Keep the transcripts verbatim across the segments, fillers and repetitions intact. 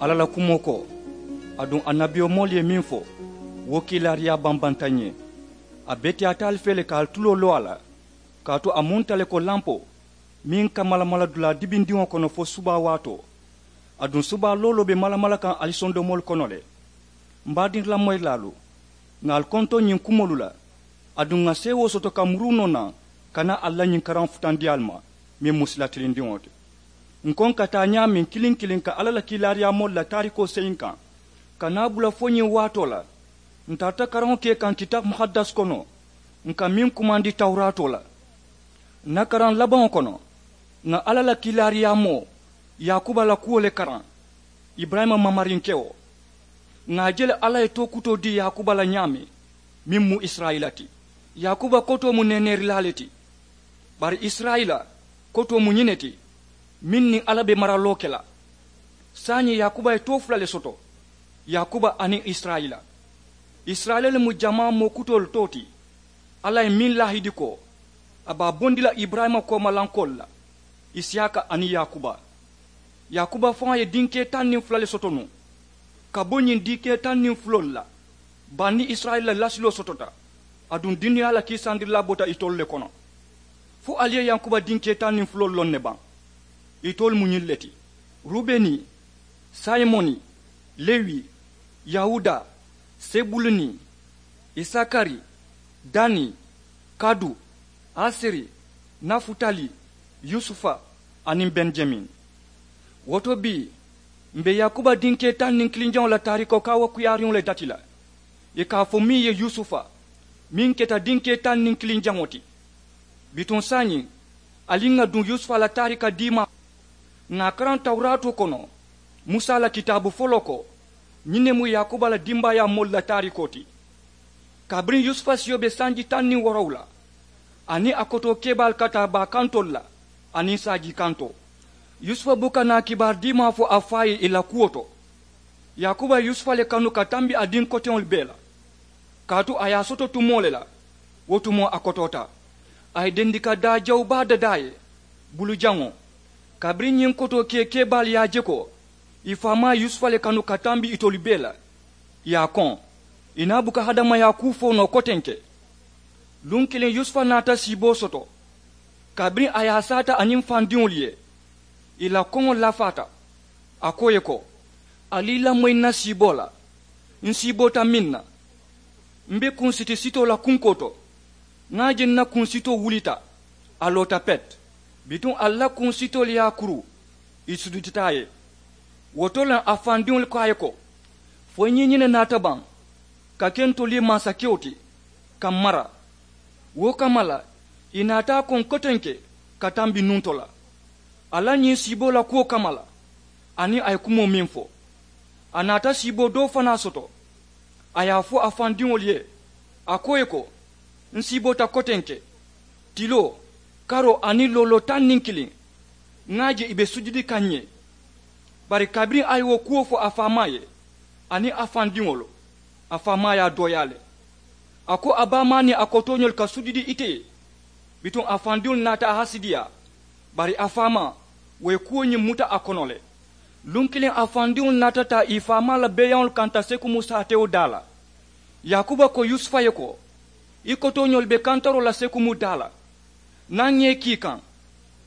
Alla la kumoo ko, aduŋ annabiyomoolu ye meŋ fo, wo kiilaariyaa bambanta ǹ ye. A beteyaata ali fee le ka ali tuloo loo a la, kaatu a mu nte le ko lampoo meŋ ka malamala dulaa dibindiŋo kono fo subaa waatoo. Aduŋ subaa looloo be malamala kaŋ ali sondomoolu kono le. M baadinlamoyilaalu, ŋà ali kontoŋ ñiŋ kumoolu la, aduŋ ŋà seewoo soto ka muruu noo naŋ ka naa ali la ñiŋ karaŋo futandi ali ma, meŋ mu sila tilindiŋo ti. Ǹ ko ǹ ka taa ñaameŋ kiliŋ kiliŋ ka alla la kiilaariyaamoolu la taarikoo seyiŋ kaŋ, ka naa bula fo ñiŋ waatoo la. Ǹ tarata karaŋo ke kaŋ kitaabu muhaddas kono, ǹ ka meŋ kumandi tawuraatoo la. Ǹ na karaŋ labaŋo kono, ŋà alla la kiilaariyaamoo yaakuba la kuwo le karaŋ, iburayima mamarinkewo. Ŋà a je le alla ye tookutoo dii yaakuba la ñaameŋ, meŋ mu isirayila ti. Yaakuba kotoo mu neeneerilaa le ti. Bari isirayila kotoo mu ñiŋ ne ti, meŋ niŋ alla be maraloo ke la. Saayiŋ yaakuba ye too fula le soto, yaakuba aniŋ isirayila. Isirayila le mu jamaa moo kutoolu too ti. Alla ye meŋ laahidi ko, a be a bondi la iburayima koomalankoolu la, isiyaaka aniŋ yaakuba. Yaakuba faŋo ye dinkee taŋ niŋ fula le soto nuŋ, ka bo ñiŋ dinkee taŋ niŋ fuloolu la, bani isirayila la lasiloo sotota. Aduŋ duniyaa la kiisandirilaa bota itolu le kono. Fo ali ye yaakuba dinkee taŋ niŋ fuloolu loŋ ne baŋ? Itolu mu ñiŋ le ti: rubeni, simoni, lewi, yawuda, sebuluni, isakari, dani, kadu, aseri, nafutali, yusufa, aniŋ benijamin. Wo to bii, m̀ be yaakuba dinkee taŋ niŋ kiliŋ jaŋo la taarikoo kaawakuyaariŋo le dati la. Ì ka a fo meŋ ye yusufa, meŋ keta dinkee taŋ niŋ kiliŋ jaŋo ti. Bituŋ saayiŋ, ali ŋà duŋ yusufa la taarika diimaa. Ŋà a karaŋ tawuraatoo kono, musa la kitaabu foloo ko, ñiŋ ne mu yaakuba la dimbaayaa moolu la taarikoo ti. Kabiriŋ yusufa siyo be sanji taŋ niŋ woorowula, aniŋ a kotoo kebaalu ka taa baa kantoolu la, aniŋ saajii kantoo, yusufa buka naa kibaari diimaa fo a faa ye ì la kuwo to. Yaakuba ye yusufa le kanu ka tambi a diŋ koteŋolu bee la, kaatu a ye a soto tumoo le la. Wo tumoo a kotoota, a ye dendika daa jawu baa dadaa a ye, bulujaŋo. Kabiriŋ ñiŋ kotoo kee kebaalu ye a je ko ì faamaa ye yusufa le kanu ka tambi itolu bee la, ì ye a koŋ. Ì naa buka hadamayaa kuu fo noo kotenke. Luŋ kiliŋ yusufa naata siiboo soto. Kabiriŋ a ye a saata aniŋ fandiŋolu ye, ì la koŋo lafaata. A ko ì ye ko, ali i lamoyi ǹ na siiboo la. Ǹ siiboota meŋ na, m̀ be kunsiti sitoo la kunkoo to. Ŋà a je ǹ na kunsitoo wulita, a loota pet. Bituŋ ali la kunsitoolu ye a kuru, ì sujudita a ye. Wo to le a fandiŋolu ko a ye ko, fo i ñiiñine naata baŋ ka ke ntolu ye mansakewo ti, ka m̀ mara? Wo kamma la, ì naata a koŋ kotenke ka tambi nuŋ to la, a la ñiŋ siiboo la kuwo kamma la. Aniŋ a ye kumoo meŋ fo, a naata siiboo doo fanaa soto. A ye a fo a fandiŋolu ye, a ko ì ye ko, ǹ siiboota kotenke, tiloo, karoo aniŋ looloo taŋ niŋ kiliŋ. Ŋà a je ì be sujudi kaŋ ǹ ye. Bari kabiriŋ a ye wo kuwo fo a faamaa ye aniŋ a fandiŋolu, a faamaa ye a dooyaa le. A ko a baamaa niŋ a kotooñolu ka sujudi ite ye. Bituŋ a fandiŋolu naata a hasidiyaa. Bari a faamaa, wo ye kuwo ñiŋ muta a kono le. Luŋ kiliŋ a fandiŋolu naata taa ì faamaa la beeyaŋolu kanta sekumu saatewo daa la. Yaakuba ko yusufa ye ko, i kotooñolu be kantaroo la sekumu daa la. Naŋ ŋà i kii kaŋ.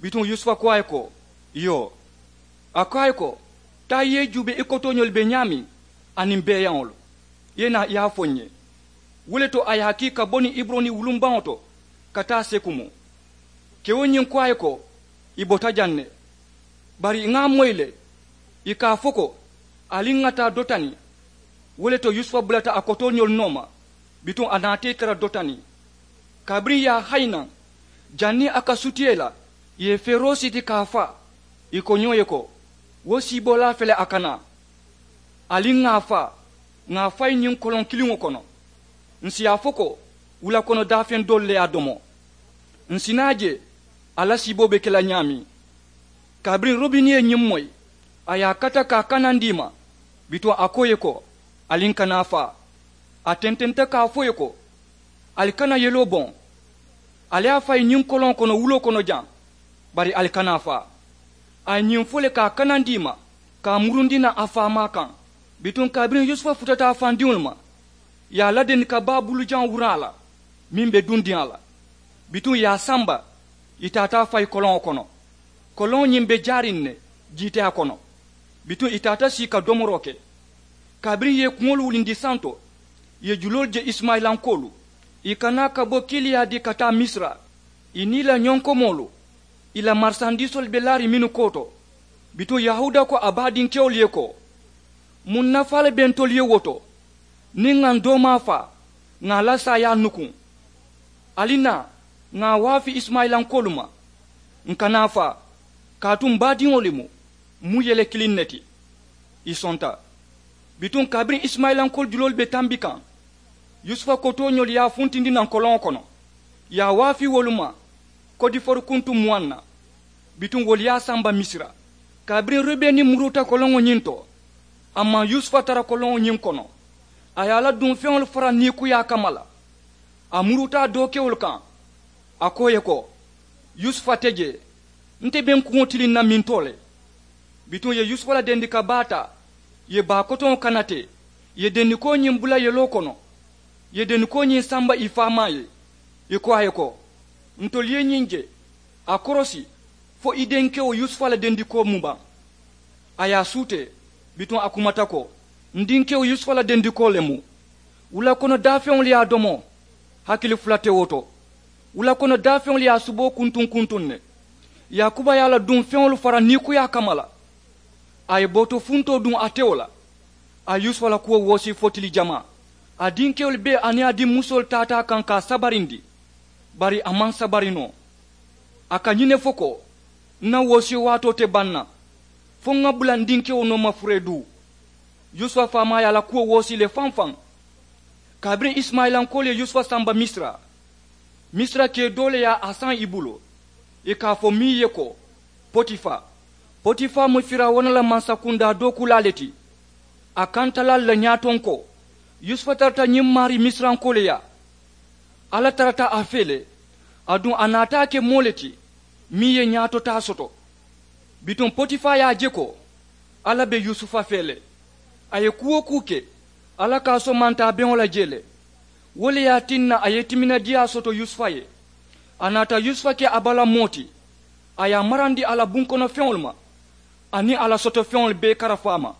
Bituŋ yusufa ko a ye ko, iyoo. A ko a ye ko, taa i ye i juubee i kotooñolu be ñaameŋ, aniŋ beeyaŋolu, i ye naa i ye a fo ǹ ye. Wo le to a ye a kii ka bo niŋ iburoni wulumbaŋo to ka taa sekumu. Kewo ñiŋ ko a ye ko, ì bota jaŋ ne. Bari ŋà a moyi le, ì ka a fo ko, ali ŋà taa dotani. Wo le to yusufa bulata a kotooñolu nooma, bituŋ a naata ì tara dotani. Kabiriŋ ì ye a hayi naŋ, janniŋ a ka sutiya ì la, ì ye feeroo siti ka a faa. Ì ko ñoo ye ko, wo siiboolaa fele a ka naa. Ali ŋà a faa, ŋà a fayi ñiŋ koloŋ kiliŋo kono. Ǹ si a fo ko, wula kono daafeŋ doolu le ye a domo. Ǹ si naa je a la siiboo be ke la ñaameŋ. Kabiriŋ rubini ye ñiŋ moyi, a ye a kata ka a kanandi ì ma. Bituŋ a ko ì ye ko, ali ǹ kana a faa. A tententa ka a fo ì ye ko, ali kana yeloo boŋ. Ali ye a fayi ñiŋ koloŋo kono wuloo kono jaŋ, bari ali kana a faa. A ye ñiŋ fo le ka a kanandi ì ma. ka a murundi naŋ a faamaa kaŋ. Bituŋ kabiriŋ yusufa futata a fandiŋolu ma, ì ye a ladendi ka baa bulujaŋo wuraŋ a la meŋ be dundiŋ a la. Bituŋ ì ye a samba, ì taata a fayi koloŋo kono. Koloŋo ñiŋ be jaariŋ ne jiiteyaa kono. Bituŋ ì taata sii ka domoroo ke. Kabiriŋ ì ye kuŋolu wulindi santo, ì ye juloolu je isimayilankoolu, ì ka naa ka bo kiliyaadi ka taa misira. Ì niŋ ì la ñonkomoolu, ì la marisandiisoolu be laariŋ mennu kooto. Bituŋ yahuuda ko a baadinkewolu ye ko, muŋ nafaa le be ntolu ye wo to? Niŋ ŋà ǹ doomaa faa, ŋà a la saayaa nukuŋ. Ali naa, ŋà a waafi isimayilankoolu ma, ǹ kana a faa, kaatu m baadiŋo le mu, m mu yele kiliŋ ne ti. Ì sonta. Bituŋ kabiriŋ isimayilankoolu juloolu be tambi kaŋ, yusufa kotooñoolu ye a funtindi naŋ koloŋo kono, ì ye a waafi wolu ma. Kodiforu kuntu muwaŋ na. Bituŋ wolu ye a samba misira. Kabiriŋ rubeni muruta koloŋo ñiŋ to, a maŋ yusufa tara koloŋo ñiŋ kono. A ye a la duŋ feŋolu fara niikuyaa kamma la. A muruta a dookewolu kaŋ. A ko ì ye ko, yusufa te jee. Nte be ǹ kuŋo tiliŋ na mintoo le. Bituŋ ì ye yusufa la dendi ka baa taa, ì ye baa kotoŋo kana te, ì ye dendikoo ñiŋ bula yeloo kono, ì ye dendikoo ñiŋ samba ì faamaa ye. Ì ko a ye ko, ntolu ye ñiŋ je, a korosi, fo i denkewo yusufa la dendikoo mu baŋ. A ye a suutee. Bituŋ a kumata ko, n dinkewo yusufa la dendikoo le mu. Wula kono daafeŋolu ye a domo, hakili fula te wo to. Wula kono daafeŋolu ye a suboo kuntuŋ kuntuŋ ne. Yaakuba ye a la duŋ feŋolu fara niikuyaa kamma la. A ye booto funtoo duŋ a tewo la. A ye yusufa la kuwo woosi fo tili jamaa. A dinkewolu bee aniŋ a dimmusoolu taata a kaŋ ka a sabarindi. Bari a maŋ sabari noo. A ka ñiŋ ne fo ko, n na woosiyo waatoo te baŋ na, fo ŋà bula n dinkewo nooma furee duu. Yusufa faamaa ye a la kuwo woosi le faŋ faŋ. Kabiriŋ isimayilankoolu ye yusufa samba misira, misira kee doo le ye a saŋ i bulu. Ì ka a fo meŋ ye ko, potifa. Potifa mu firawuna la mansakundaa dookulaa le ti. A kantalaalu la ñaatonkoo, yusufa tarata ñiŋ maarii misirankoolu yaa. Alla tarata a fee le, aduŋ a naata a ke moo le ti meŋ ye ñaatotaa soto. Bituŋ potifaa ye a je ko alla be yusufa fee le. A ye kuu-wo-kuu ke, alla ka a somanta a beŋo la jee le. Wo le ye a tinna a ye timinadiyaa soto yusufa ye. A naata yusufa ke a bala moo ti. A ye a marandi a la bunkono feŋolu ma, aniŋ a la soto feŋolu bee karafu a ma.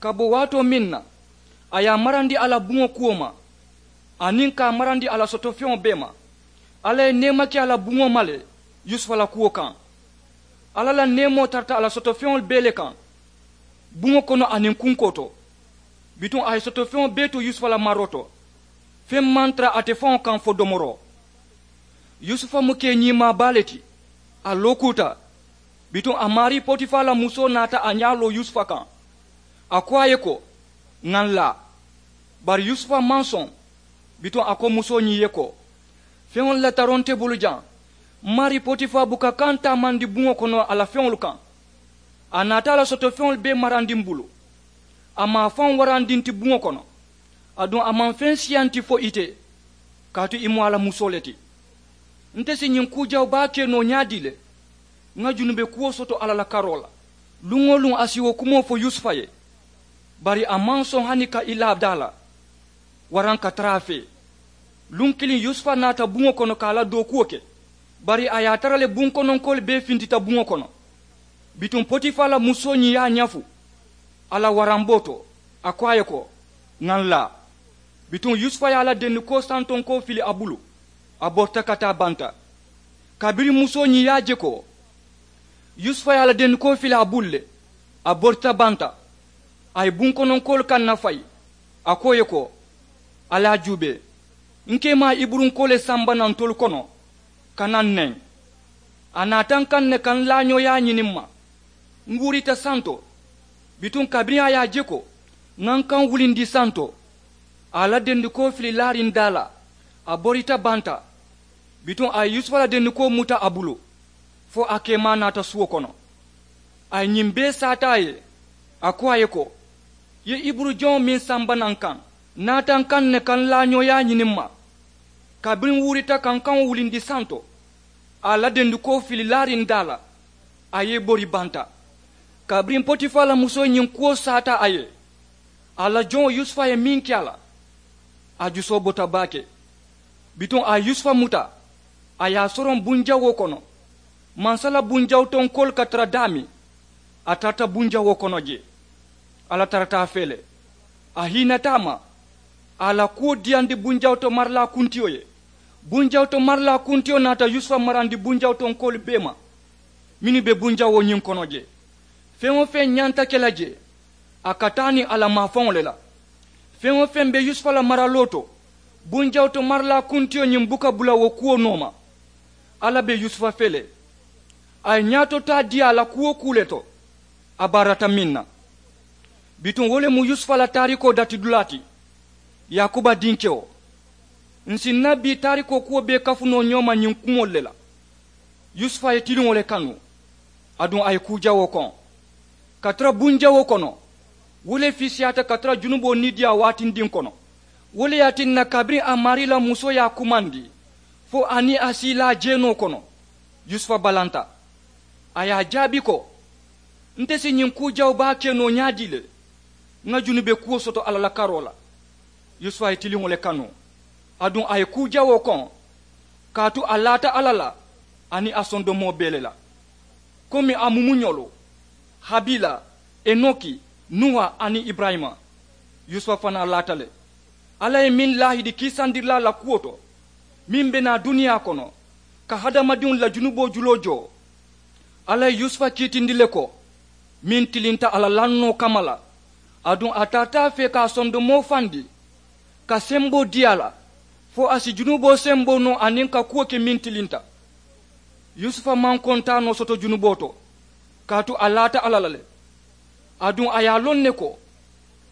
Ka bo waatoo meŋ na, a ye a marandi a la buŋo kuwo ma, aniŋ ka a marandi a la soto feŋo bee ma. Alla ye neema ke a la buŋo ma le yusufa la kuwo kaŋ. Alla la neemoo tarata a la soto feŋolu bee le kaŋ, buŋo kono aniŋ kunkoo to. Bituŋ a ye soto feŋo bee tu yusufa la maroo to. Feŋ maŋ tara ate faŋo kaŋ fo domoroo. Yusufa mu kee ñiimaa baa le ti. A lookuuta. Bituŋ a maarii potifaa la musoo naata a ñaa loo yusufa kaŋ. A ko a ye ko, ŋà n laa. Bari yusufa maŋ soŋ. Bituŋ a ko musoo ñiŋ ye ko, feŋolu la taroo nte bulu jaŋ. M maarii potifaa buka kaŋ taamandi buŋo kono a la feŋolu kaŋ. A naata a la soto feŋolu bee marandi m bulu. A maŋ a faŋo warandi nti buŋo kono. Aduŋ a maŋ feŋ siyanti fo ite, kaatu i mu a la musoo le ti. Nte si ñiŋ kuu jawu baa ke noo ñaadii le? Ŋa junube kuwo soto alla la karoo la. Luŋ-wo-luŋ a si wo kumoo fo yusufa ye. Bari a maŋ soŋ hani ka i laa daa la, waraŋ ka tara a fee. Luŋ kiliŋ yusufa naata buŋo kono ka a la dookuwo ke. Bari a ye a tara le bunkononkoolu bee fintita buŋo kono. Bituŋ potifaa la musoo ñiŋ ye a ñafu a la waramboo to. A ko a ye ko, ŋà n laa. Bituŋ yusufa ye a la dendikoo santonkoo fili a bulu. A borita ka taa banta. Kabiriŋ musoo ñiŋ ye a je ko yusufa ye a la dendikoo fili a bulu le, a borita banta. A ye bunkononkoolu kaŋ nafayi. A ko ì ye ko, ali a juubee. N keemaa iburunkoo le samba naŋ ntolu kono ka naŋ neŋ. A naata n kaŋ ne ka n laañooyaa ñini m ma. N wuurita santo. Bituŋ kabiriŋ a ye a je ko ŋa n kaŋ wulindi santo, a ye a la dendikoo fili laariŋ daa la. A borita banta. Bituŋ a ye yusufa la dendikoo muta a bulu, fo a keemaa naata suwo kono. A ye ñiŋ bee saata a ye. A ko a ye ko, i ye iburu joŋo meŋ samba naŋ kaŋ, naata n kaŋ ne ka n laañooyaa ñini m ma. Kabiriŋ n wuurita ka n kaŋo wulindi santo, a ye a la dendikoo fili laariŋ daa la. A ye i bori banta. Kabiriŋ potifaa la musoo ñiŋ kuwo saata a ye, a la joŋo yusufa ye meŋ ke a la, a jusoo bota baake. Bituŋ a ye yusufa muta, a ye a soroŋ bunjawoo kono. Mansa la bunjawutonkoolu ka tara daameŋ, a tarata bunjawoo kono jee. Alla tarata a fee le. A hiinata a ma, a la kuwo diyandi bunjawuto marilaa kuntiyo ye. Bunjawuto marilaa kuntiyo naata yusufa marandi bunjawutonkoolu bee ma, mennu be bunjawoo ñiŋ kono jee. Feŋ-wo-feŋ ñanta ke la jee, a ka taa niŋ a la maafaŋo le la. Feŋ-wo-feŋ be yusufa la maraloo to, bunjawuto marilaa kuntiyo ñiŋ buka bula wo kuwo nooma. Alla be yusufa fee le. A ye ñaato taa dii a la kuu-wo-kuu le to, a baarata meŋ na. Bituŋ wo le mu yusufa la taarikoo datidulaa ti. Yaakuba dinkewo, ǹ si ǹ na bii taarikoo kuwo bee kafu noo ñoo ma ñiŋ kumoolu le la. Yusufa ye tiliŋo le kanu, aduŋ a ye kuu jawoo koŋ. Ka tara bunjawoo kono, wo le fiisiyaata ka tara junuboo niidiyaa waatindiŋ kono. Wo le ye a tinna kabiriŋ a maarii la musoo ye a kumandi, fo a niŋ a siilaa jeenoo kono, yusufa balanta. A ye a jaabi ko, nte si ñiŋ kuu jawoo baa ke noo ñaadii le? Ŋa junube kuwo soto alla la karoo la. Yusufa ye tiliŋo le kanu, aduŋ a ye kuu jawoo koŋ. Kaatu a laata alla la, aniŋ a sondomoo bee le la, komi a mumuñolu, habila, enoki, nuwa aniŋ iburayima. Yusufa fanaa laata le. Alla ye meŋ laahidi kiisandirilaa la kuwo to, meŋ be naa duniyaa kono, ka hadamadiŋolu la junuboo juloo joo. Alla ye yusufa kiitindi le ko, meŋ tilinta a la lannoo kamma la, aduŋ a taata a fee ka a sondomoo fandi, ka semboo dii a la, fo a si junuboo semboo noo aniŋ ka kuwo ke meŋ tilinta. Yusufa maŋ kontaanoo soto junuboo to, kaatu a laata alla la le. Aduŋ a ye a loŋ ne ko,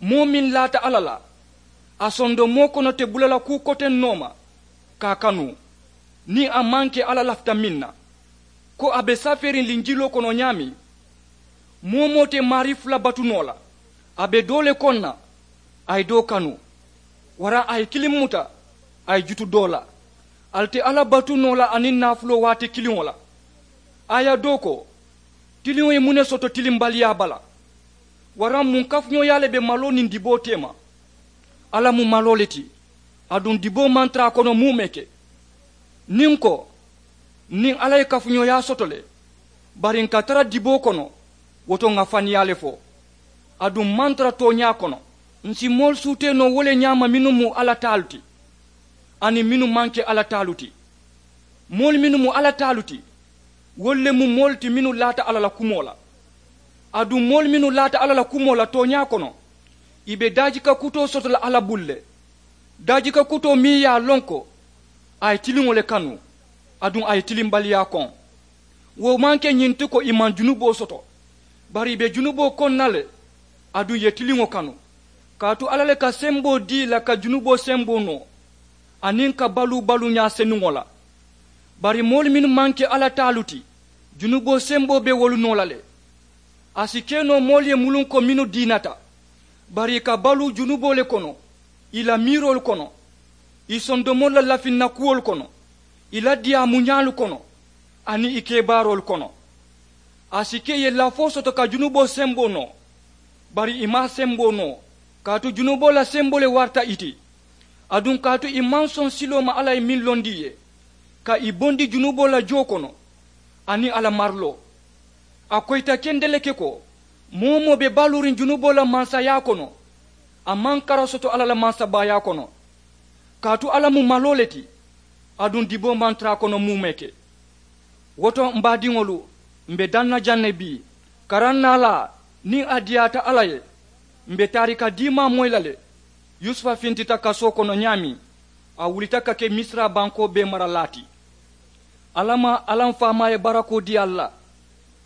moo meŋ laata alla la, a sondomoo kono te bula la kuu koteŋ noo ma, ka a kanu, niŋ a maŋ ke alla lafita meŋ na, ko a be safeeriŋ linjiloo kono ñaameŋ. Moo-wo-moo te maarii fula batu noo la, a be doo le koŋ na, a ye doo kanu. Waraŋ a ye kiliŋ muta, a ye jutu doo la. Ali te alla batu noo la aniŋ naafuloo waati kiliŋo la. Aaya doo ko, tiliŋo ye muŋ ne soto tilimbaliyaa bala? Waraŋ muŋ kafuñooyaa le be maloo niŋ diboo teema? Alla mu maloo le ti, aduŋ diboo maŋ tara a kono muumee ke. Niŋ n ko, niŋ alla ye kafuñooyaa soto le, bari n ka tara diboo kono, wo to ŋa faniyaa le fo. Aduŋ maŋ tara tooñaa kono. Ǹ si moolu suutee noo wo le ñaama mennu mu alla taalu ti, aniŋ mennu maŋ ke alla taalu ti. Moolu mennu mu alla taalu ti, wolu le mu moolu ti mennu laata alla la kumoo la. Aduŋ moolu mennu laata alla la kumoo la tooñaa kono, ì be daajika kutoo soto la alla bulu le. Daajika kutoo meŋ ye a loŋ ko a ye tiliŋo le kanu, aduŋ a ye tilimbaliyaa koŋ. Wo maŋ ke ñiŋ ti ko ì maŋ junuboo soto, bari ì be junuboo koŋ na le, aduŋ ì ye tiliŋo kanu. Kaatu alla le ka semboo dii ì la ka junuboo semboo noo, aniŋ ka baluu baluuñaa senuŋo la. Bari moolu mennu maŋ ke alla taalu ti, junuboo semboo be wolu noo la le. A si ke noo moolu ye muluŋ ko mennu diinata, bari ì ka baluu junuboo le kono, ì la miiroolu kono, ì sondomoolu la lafinna kuwolu kono, ì la diyaamuñaalu kono, aniŋ ì kebaaroolu kono. A si ke ì ye lafoo soto ka junuboo semboo noo, bari ì maŋ a semboo noo, kaatu junuboo la semboo le warata ì ti. Aduŋ kaatu ì maŋ soŋ siloo ma alla ye meŋ londi ì ye, ka ì bondi junuboo la joo kono, aniŋ a la mariloo. A koyita kendeleŋ ke ko, moo-wo-moo be baluuriŋ junuboo la mansayaa kono, a maŋ kara soto alla la mansabaayaa kono. Kaatu alla mu maloo le ti, aduŋ diboo maŋ tara a kono muumee ke. Wo to m baadiŋolu, m be daŋ na jaŋ ne bii, karaŋ naalaa, niŋ a diyaata alla ye, m be taarika diimaa moyi la le. Yusufa fintita kasoo kono ñaameŋ, a wulita ka ke misira bankoo bee maralaa ti. Alla maa, alla m faamaa ye barakoo dii ali la.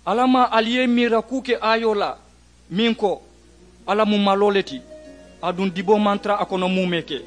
Alla maa, ali ye i miira kuu ke aayoo la, meŋ ko, alla mu maloo le ti, aduŋ diboo maŋ tara a kono muumee ke.